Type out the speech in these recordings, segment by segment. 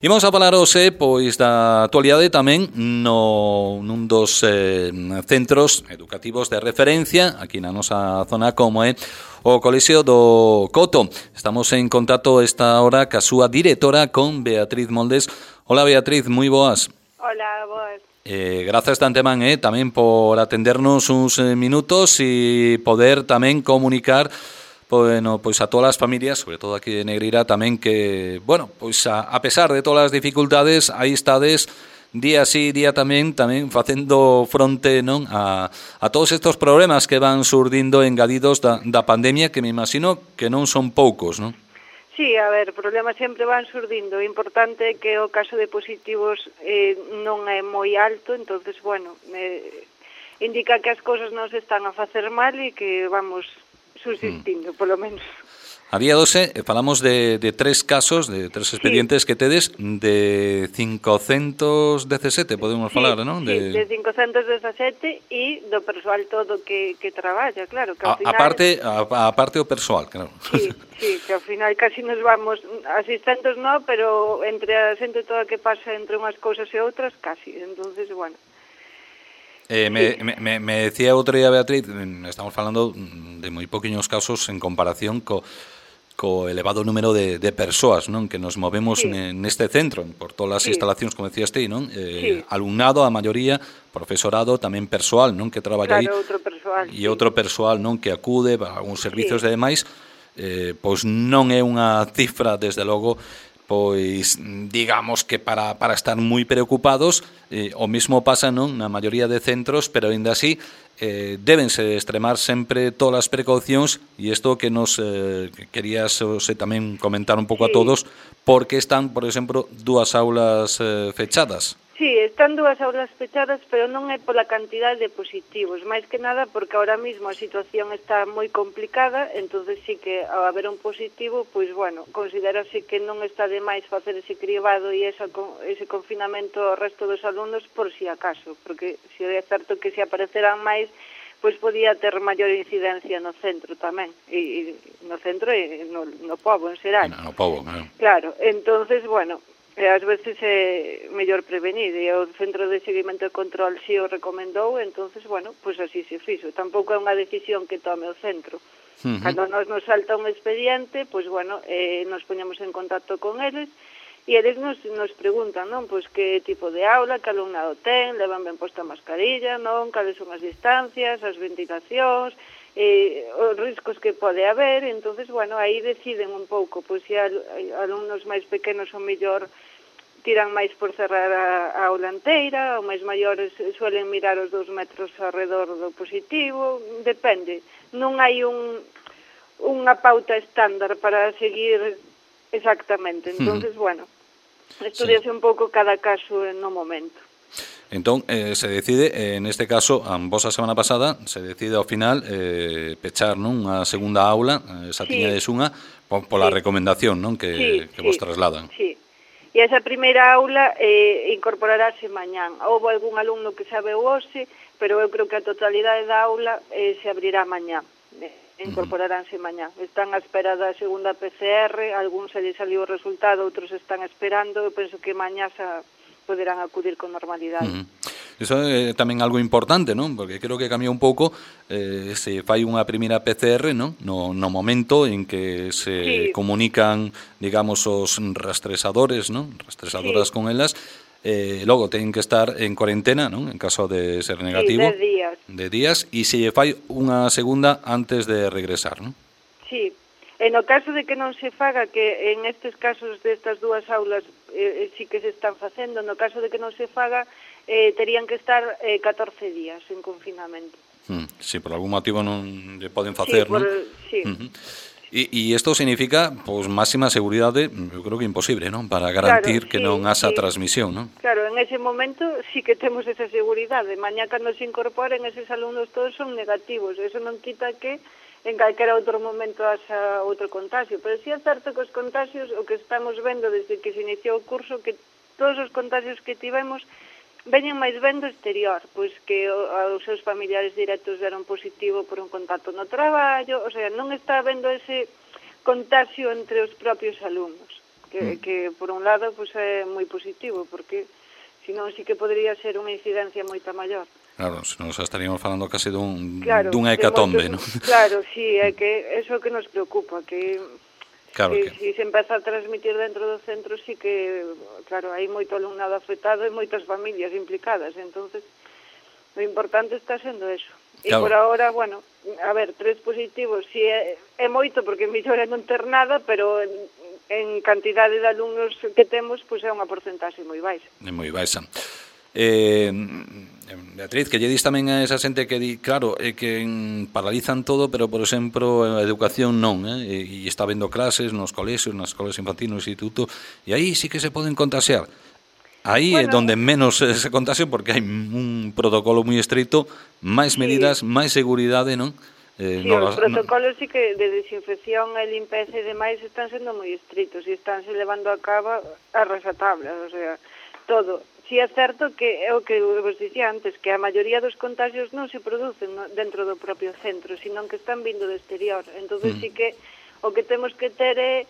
Imos a falar hoxe, pois, da actualidade tamén nun dos centros educativos de referencia aquí na nosa zona, como é o Colexio do Coto. Estamos en contacto esta hora ca súa directora, con Beatriz Moldes. Hola, Beatriz, moi boas. Hola, boas. Grazas de antemán tamén por atendernos uns minutos e poder tamén comunicar pois a todas as familias, sobre todo aquí de Negreira, tamén que, pois a pesar de todas as dificultades, aí estades día sí, día tamén facendo fronte, non, a todos estes problemas que van surdindo engadidos da pandemia, que me imagino que non son poucos, non? Sí, a ver, problemas sempre van surdindo. O importante é que o caso de positivos non é moi alto, entonces, indica que as cousas non se están a facer mal e que vamos subsistindo, polo menos. A día 12 falamos de tres casos, de tres expedientes que tedes de 517, podemos falar, non? Sí, de 517 e do persoal todo que traballa, claro. Que ao final... A parte o persoal, claro. Sí, que ao final casi nos vamos, asistentes no, pero entre a xente toda que pasa entre unhas cousas e outras, casi. Entonces, bueno... Me decía outro día Beatriz, estamos falando de moi poquinhos casos en comparación co elevado número de persoas, non, que nos movemos neste centro, por todas as instalacións, como decías ti, non? Alumnado, a maioría, profesorado, tamén persoal, non, que traballa aí. Outro persoal. E outro persoal, non, que acude para algúns servizos e demais, pois non é unha cifra, desde logo, pois digamos que para estar moi preocupados. O mesmo pasa, non, na maioría de centros, pero ainda así débense extremar sempre todas as precaucións, e isto que nos querías tamén comentar un pouco a todos, porque están, por exemplo, dúas aulas fechadas. Sí, están dúas aulas fechadas, pero non é pola cantidade de positivos, máis que nada porque ahora mesmo a situación está moi complicada, entonces sí que ao haber un positivo, pois considerase que non está de máis facer ese cribado e ese confinamento ao resto dos alumnos por si acaso, porque se é certo que se apareceran máis, pois podía ter maior incidencia no centro tamén, e no centro e no pobo en xeral. No pobo, claro. Claro, entonces, ás veces é mellor prevenir, e o Centro de Seguimento e Control si o recomendou, entonces, pois así se fixo. Tampouco é unha decisión que tome o centro. Cando nos salta un expediente, pois, nos poñemos en contacto con eles, e eles nos preguntan, non, pois que tipo de aula, que alumnado ten, levan ben posta a mascarilla, non, cales son as distancias, as ventilacións, os riscos que pode haber, entonces, aí deciden un pouco, pois se alumnos máis pequenos o mellor tiran máis por cerrar a aula inteira, ou máis maiores suelen mirar os 2 metros alrededor do positivo, depende. Non hai unha pauta estándar para seguir exactamente, entonces, estudiase un pouco cada caso no momento. Entón, se decide, en este caso, vos a semana pasada, se decide ao final pechar, non, unha segunda aula, esa tiñades unha, pola recomendación, non, que vos trasladan. Sí. E esa primeira aula incorporarase mañán. Houve algún alumno que sabe hoxe, pero eu creo que a totalidade da aula se abrirá mañán. Incorporaránse mañán. Están a espera da segunda PCR, algúns se lles saliu o resultado, outros están esperando, eu penso que mañá poderán acudir con normalidade. Iso é tamén algo importante, non? Porque creo que cambia un pouco se fai unha primeira PCR, non? No momento en que se comunican, digamos, os rastreadores, non? Rastreadoras con elas, logo teñen que estar en cuarentena, non? En caso de ser negativo. 10 días. E se fai unha segunda antes de regresar, non? Sí. E no caso de que non se faga, que en estes casos destas dúas aulas sí que se están facendo, no caso de que non se faga, terían que estar 14 días en confinamento. Si por algún motivo non lle poden facer, non? Sí. E isto significa, pois, máxima seguridade, eu creo que imposible, non? Para garantir que non haxa transmisión, non? Claro, en ese momento sí que temos esa seguridade. Mañá, cando se incorporen, eses alumnos todos son negativos. Eso non quita que en calquera outro momento haxa outro contagio. Pero sí é certo que os contagios, o que estamos vendo desde que se iniciou o curso, que todos os contagios que tivemos veñen máis ben do exterior, pois que os seus familiares directos deron positivo por un contacto no traballo, o sea, non está habendo ese contagio entre os propios alumnos. que por un lado pues é moi positivo, porque senón sí que podría ser unha incidencia moita maior. Claro, se nos estaríamos falando case Claro, dunha hecatombe, non? Claro, sí, é que eso que nos preocupa, que Claro que... si se empeza a transmitir dentro do centro, sí que, claro, hai moito alumnado afectado e moitas familias implicadas, entonces o importante está sendo eso. E Claro. por ahora, bueno, a ver, 3 positivos, si é moito porque mellor é non ter nada, pero en cantidade de alumnos que temos, pois é unha porcentaxe moi baixa. É moi baixa. Beatriz, que lle dis tamén a esa xente que di, claro, é que paralizan todo, pero, por exemplo, a educación non, e está vendo clases nos colexios, nas escolas infantis, no instituto, e aí sí que se poden contaxiar. Aí é donde menos se contaxian, porque hai un protocolo moi estricto, máis medidas, máis seguridade, non? Sí, os protocolos sí que de desinfección e limpeza e demais están sendo moi estrictos e estánse levando a cabo a rajatabla, o sea, todo. Si é certo que é o que vos dicía antes, que a maioría dos contagios non se producen dentro do propio centro, sino que están vindo do exterior. Entonces sí que o que temos que ter é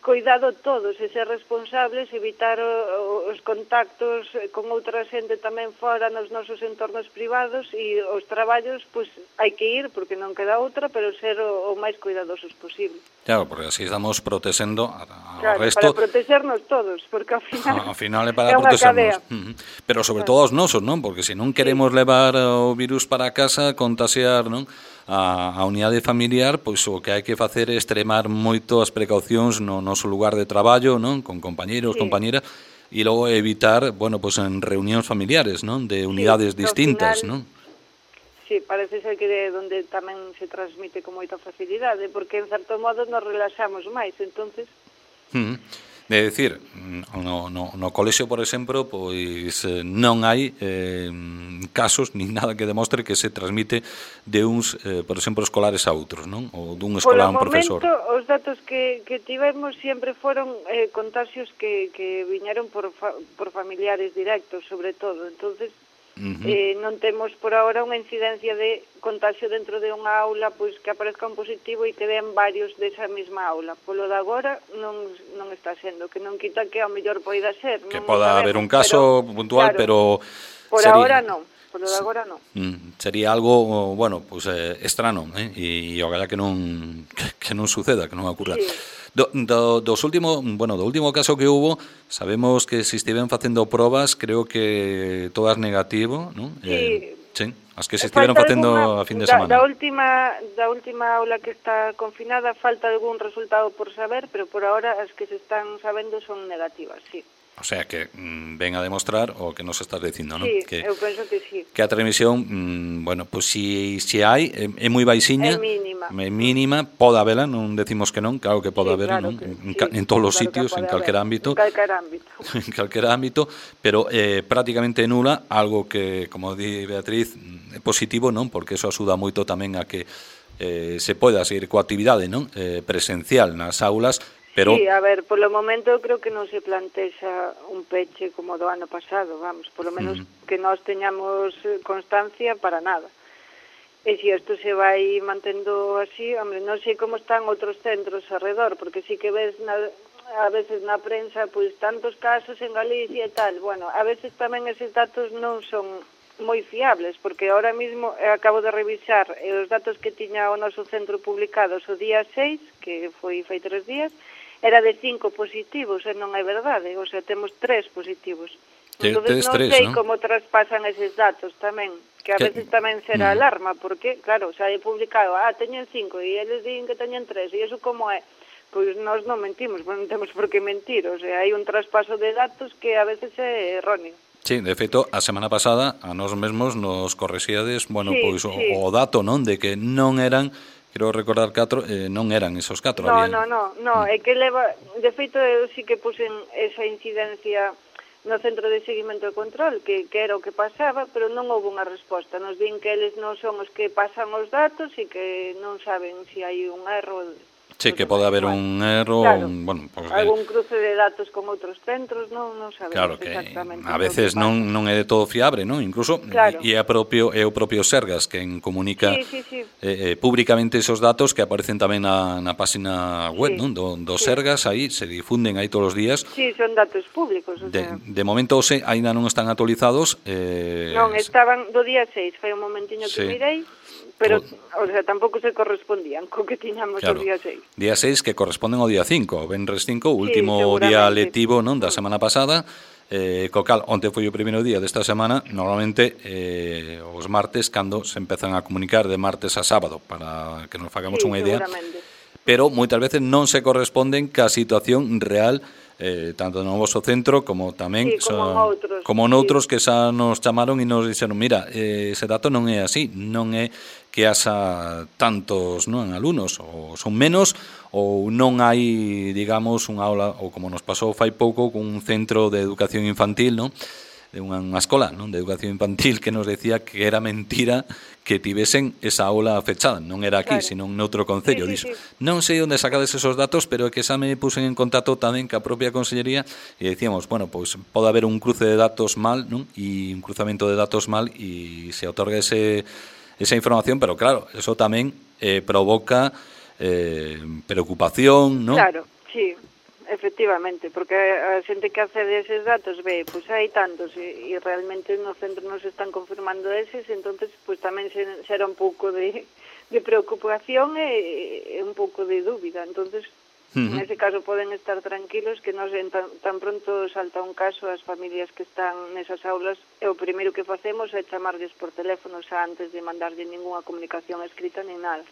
cuidado todos e ser responsables, evitar os contactos con outra xente tamén fora nos nosos entornos privados e os traballos, pois hai que ir porque non queda outra, pero ser o máis cuidadosos posible. Claro, porque así estamos protexendo ao claro, resto. Para protexernos todos, porque ao final é para protexernos. Pero sobre todo os nosos, non? Porque se non queremos levar o virus para casa, contaxiar, non? A unidade familiar, pois o que hai que facer é extremar moito as precaucións no noso lugar de traballo, non? Con compañeiros, compañeras, e logo evitar, bueno, pois en reunións familiares, non? De unidades distintas, non? Sí, parece ser que é onde tamén se transmite con moita facilidade, porque en certo modo nos relaxamos máis, entonces... De decir, no colexio, por exemplo, pois non hai casos ni nada que demostre que se transmite de uns, por exemplo, escolares a outros, non? Ou dun escolar a un profesor. Polo momento, os datos que tivemos sempre foron contagios que viñeron por familiares directos, sobre todo. Entonces, non temos por ahora unha incidencia de contagio dentro de unha aula, pois que aparezca un positivo e que den varios desa mesma aula. Polo de agora non está sendo, que non quita que ao mellor poida ser. Que poda haber un caso puntual, pero... Por ahora non. Polo de agora non. Sería algo, bueno, pues estrano, e ojalá que non suceda, que non ocurra. Do último caso que hubo, sabemos que se estiven facendo probas, creo que todas negativo, non? Sí, as que se estiveron facendo a fin de semana. Da última aula que está confinada falta algún resultado por saber, pero por ahora as que se están sabendo son negativas, sí. O sea, que ven a demostrar o que nos estás dicindo, non? Sí, eu penso que sí. Que a transmisión, bueno, pues si hai, é moi baixiña. É mínima, pode habela, non decimos que non, claro que pode haber, non? En todos os sitios, en calquera ámbito. En calquera ámbito, pero prácticamente nula, algo que, como di Beatriz, é positivo, non? Porque eso axuda moito tamén a que se poida seguir coa actividade, non? Presencial nas aulas. Pero... Sí, a ver, polo momento creo que non se plantexa un peche como do ano pasado, vamos, polo menos que nós teñamos constancia para nada. E se isto se vai mantendo así, hombre, non sei como están outros centros alrededor, porque sí que ves a veces na prensa, pois tantos casos en Galicia e tal, bueno, a veces tamén eses datos non son moi fiables, porque ahora mismo acabo de revisar os datos que tiña o noso centro publicados o día 6, que foi fai 3 días, era de 5 positivos, e non é verdade, o sea, temos 3 positivos. Entón, non sei como traspasan eses datos tamén, que a veces tamén será alarma, porque, claro, xa é publicado, teñen 5, e eles din que teñen 3, e iso como é? Pois nós non mentimos, non temos por que mentir, o sea, hai un traspaso de datos que a veces é erróneo. Sí, de feito, a semana pasada a nós mesmos nos correxíades, bueno, pois o dato, non, de que non eran... Quero recordar 4, non eran esos 4. No, é que leva... De feito, eu sí que puxen esa incidencia no Centro de Seguimento e Control, que era o que pasaba, pero non houve unha resposta. Nos din que eles non son os que pasan os datos e que non saben se hai un erro. Sí, que pode haber un erro, claro, bueno, pues, algún cruce de datos con outros centros, non sabemos claro que exactamente a o que veces pasa. non é de todo fiable, non? Incluso Claro. é o propio Sergas quen comunica Sí. públicamente esos datos que aparecen tamén na página web, non? Do Sí. Sergas, aí se difunden aí todos os días. Sí, son datos públicos, o sea. De momento aínda non están actualizados. Non, estaban do día 6, foi un momentiño que mirei, pero, o sea, tampouco se correspondían co que tiñamos o día 6. Día 6 que corresponden ao día 5, o Venres 5, o último día lectivo, non, da semana pasada, co cal, onte foi o primeiro día desta semana, normalmente os martes, cando se empezan a comunicar de martes a sábado, para que nos fagamos unha idea, pero moitas veces non se corresponden ca situación real, tanto no vosso centro como tamén como noutros que xa nos chamaron e nos dixeron, mira, ese dato non é así, non é que haxa tantos, non, alumnos, ou son menos, ou non hai, digamos, unha aula, ou como nos pasou fai pouco cun centro de educación infantil, non? De unha escola, non, de educación infantil que nos decía que era mentira que tivesen esa aula fechada, non era aquí, sino noutro concello. Dixo, non sei onde sacades esos datos, pero que xa me pusen en contacto tamén ca propia consellería e decíamos, bueno, pois pode haber un cruce de datos mal, non? E un cruzamento de datos mal e se otorga esa información, pero claro, eso tamén provoca preocupación, non? Claro, sí. Efectivamente, porque a xente que accede a eses datos ve, pois hai tantos e realmente no centro nos están confirmando eses, entonces pois tamén xera un pouco de preocupación e un pouco de dúbida. Entonces, en ese caso poden estar tranquilos que nos tan pronto salta un caso as familias que están nesas aulas e o primeiro que facemos é chamarlles por teléfono xa antes de mandarlle ningunha comunicación escrita nin nada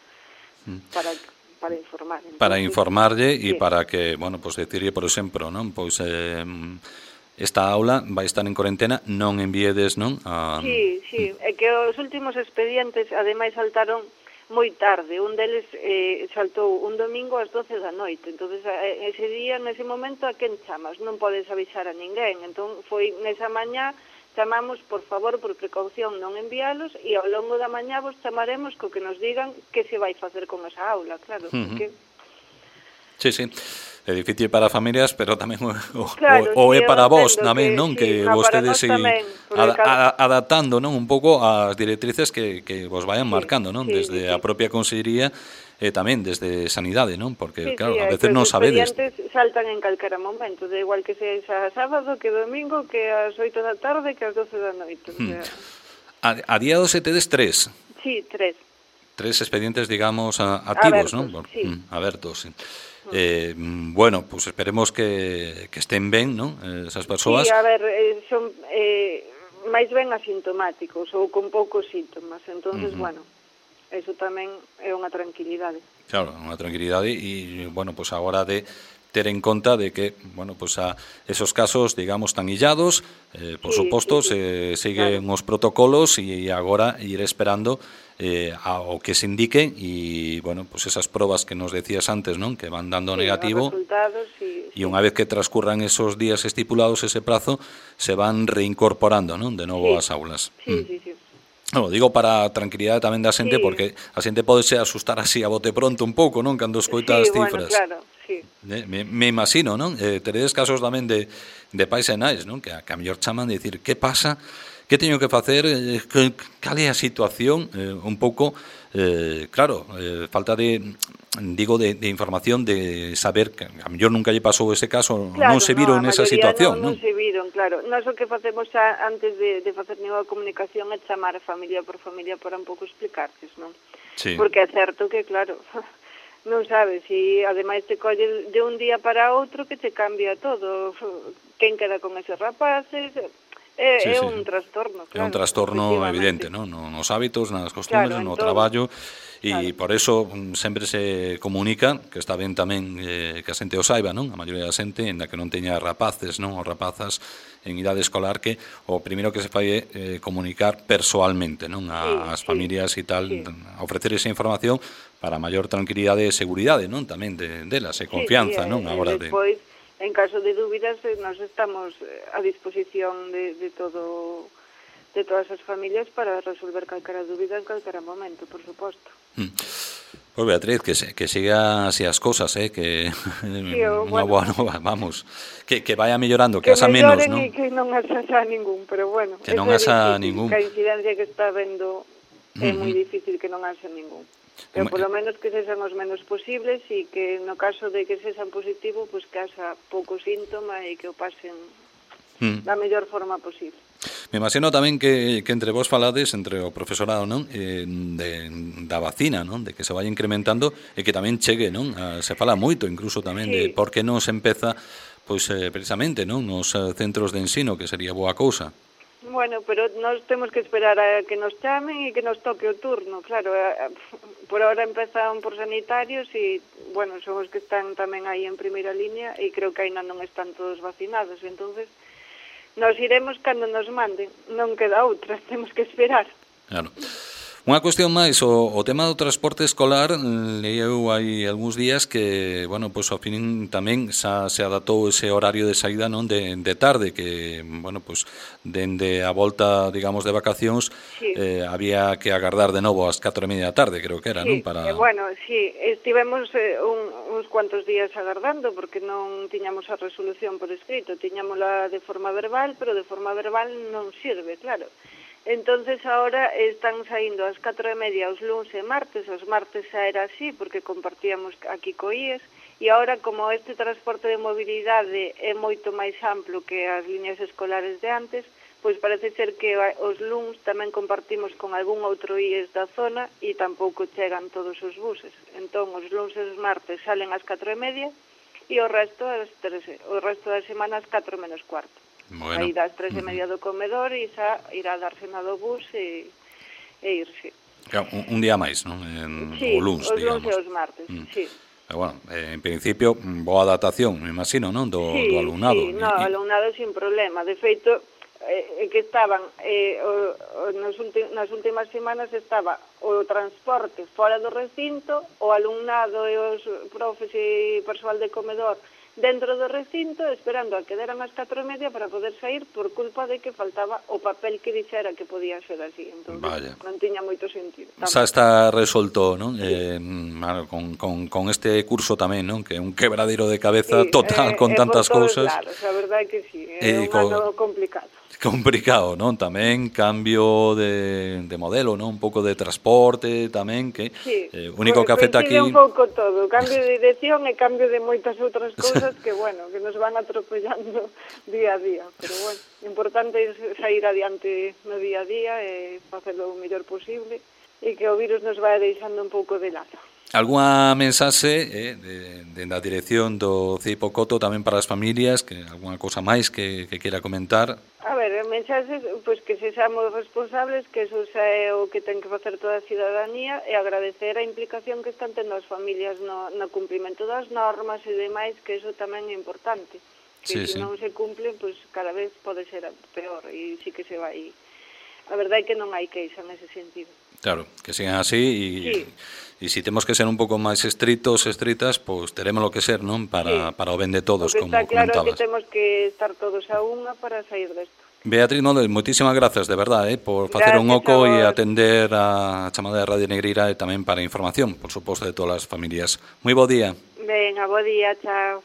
para informar. Entonces, para informarlle e para que, bueno, pois decirlle, por exemplo, non, pois esta aula vai estar en cuarentena, non envíedes, non? Sí, é que os últimos expedientes ademais saltaron moi tarde, un deles saltou un domingo ás 12 da noite, entonces ese día, nese momento, a quen chamas? Non podes avisar a ninguén, entón foi nesa mañá chamamos, por favor, por precaución, non envialos e ao longo da mañá vos chamaremos co que nos digan que se vai facer con esa aula, claro, porque... Sí, é difícil para familias, pero tamén é para vos tamén, non? Que vostedes adaptando, non? Un pouco as directrices que vos vayan marcando, non? Desde a propia consellería e tamén desde Sanidade, non? Porque, claro, a veces non sabedes. Os expedientes saltan en calquera momento, de igual que sexa sábado, que domingo, que ás 8 da tarde, que ás 12 da noite. A día 12 tedes 3. Sí, 3. 3 expedientes, digamos, activos, non? Abertos, sí. Bueno, pues esperemos que estén ben, non? Esas persoas. Sí, a ver, son máis ben asintomáticos ou con poucos síntomas, entonces, bueno, eso tamén é unha tranquilidade. Claro, unha tranquilidade e, bueno, pues agora de ter en conta de que, bueno, pues a esos casos, digamos, tan illados, por suposto, se siguen os protocolos e agora ir esperando ao que se indique e, bueno, pues esas probas que nos decías antes, non? Que van dando negativo e unha vez que transcurran esos días estipulados, ese prazo, se van reincorporando, non? De novo ás aulas. Sí. No, digo para a tranquilidade tamén da xente, porque a xente pode se asustar así a bote pronto un pouco, non? Cando escoita as cifras. Bueno, claro, sí. Me imagino, non? Teredes casos tamén de pais e nais, non? Que a mellor chaman de dicir, que pasa? Que teño que facer? Cal é a situación? Un pouco, claro, falta de información, de saber que a mellor nunca lle pasou ese caso, claro, non se viron nesa situación, non? Non se viron, claro. Nós o que facemos xa antes de facer ninguna comunicación é chamar a familia por familia para un pouco explicarles, non? Sí. Porque é certo que, claro, non sabes, e ademais te colle de un día para outro que te cambia todo. Quen queda con eses rapaces... É un trastorno, claro. É un trastorno evidente, non? Nos hábitos, nas costumbres, no traballo, e por eso sempre se comunica, que está ben tamén que a xente o saiba, non? A maioría da xente, ainda que non teña rapaces, non? Ou rapazas en idade escolar, que o primeiro que se fai é comunicar persoalmente, non? As familias e tal, ofrecer esa información para maior tranquilidade e seguridade, non? Tamén delas, e confianza, non? Agora de... En caso de dúbidas, nos estamos a disposición de todas as familias para resolver calquera dúbida en calquera momento, por suposto. Pois Pois Beatriz, que siga así as cosas, que unha boa nova, vamos, que vaya mellorando, que haxa menos, non? Que non haxa ningún, pero bueno, que non haxa ningún. Que a incidencia que está vendo é moi difícil que non haxa ningún. Pero polo menos que sexan os menos posibles e que no caso de que sexan positivo, pois que haxa pouco síntoma e que o pasen da mellor forma posible. Me imagino tamén que entre vos falades, entre o profesorado, non? Da vacina, non? De que se vai incrementando e que tamén chegue, non? Se fala moito incluso tamén de por que non se empeza pois precisamente, non? Nos centros de ensino, que sería boa cousa. Bueno, pero nós temos que esperar a que nos chamen e que nos toque o turno, claro. Por ahora empezan por sanitarios e, bueno, son os que están tamén aí en primeira línea e creo que ainda non están todos vacinados, entonces nos iremos cando nos manden, non queda outra, temos que esperar. Claro. Unha cuestión máis, o tema do transporte escolar, leio hai algúns días que, bueno, pois ao fin tamén se adaptou ese horario de saída, non, de tarde, que, bueno, pois dende a volta, digamos, de vacacións, había que agardar de novo ás 4:30 da tarde, creo que era, non? Bueno, estivemos uns cuantos días agardando, porque non tiñamos a resolución por escrito, tiñámola de forma verbal, pero de forma verbal non sirve, claro. Entonces ahora están saindo ás 4:30 os luns e martes, os martes xa era así porque compartíamos aquí co IES e ahora como este transporte de mobilidade é moito máis amplo que as liñas escolares de antes, pois parece ser que os luns tamén compartimos con algún outro IES da zona e tampouco chegan todos os buses. Entón os luns e os martes salen ás 4:30 e o resto da semana ás 4 menos cuarto. Bueno. Aí das 3:30 do comedor e xa irá darse na do bus e irse. Un día máis, non? O luns, digamos. Os luns e os martes, sí. Pero bueno, en principio, boa adaptación, me imagino, non? Do alumnado. Sí, no, alumnado sin problema. De feito, que estaban, nas últimas semanas estaba o transporte fora do recinto, o alumnado e os profes e persoal de comedor dentro do recinto, esperando a que deran as 4:30 para poder sair por culpa de que faltaba o papel que dixera que podía ser así. Entón, non tiña moito sentido. Xa está resolto, non? Con este curso tamén, non? Que é un quebradero de cabeza total con tantas cousas. Claro, a verdade é que sí, é un ano complicado. Complicado, non? Tamén cambio de modelo, non? Un pouco de transporte tamén, que único que afecta aquí... un pouco todo, cambio de dirección e cambio de moitas outras cousas que, bueno, que nos van atropellando día a día, pero, bueno, o importante é sair adiante no día a día e facelo o mellor posible e que o virus nos vai deixando un pouco de lado. Algúa mensaxe da dirección do CIPO Coto tamén para as familias, que algunha cousa máis que queira comentar? A ver, mensaxes, pois que sexamos responsables, que eso xa é o que ten que facer toda a cidadanía e agradecer a implicación que están tendo as familias no cumprimento das normas e demais, que eso tamén é importante. Que se non se cumplen, pois cada vez pode ser peor e sí que se vai... A verdade é que non hai queixa nese sentido. Claro, que sigan así e se temos que ser un pouco máis estritos, estritas, pois teremos lo que ser, non? Para o ben de todos, como comentabas. Está claro que temos que estar todos a unha para sair desto. Beatriz Nodel, moitísimas grazas, de verdade, por facer un oco e atender a chamada de Radio Negreira e tamén para información, por suposto, de todas as familias. Moi bo día. Venga, bo día, chao.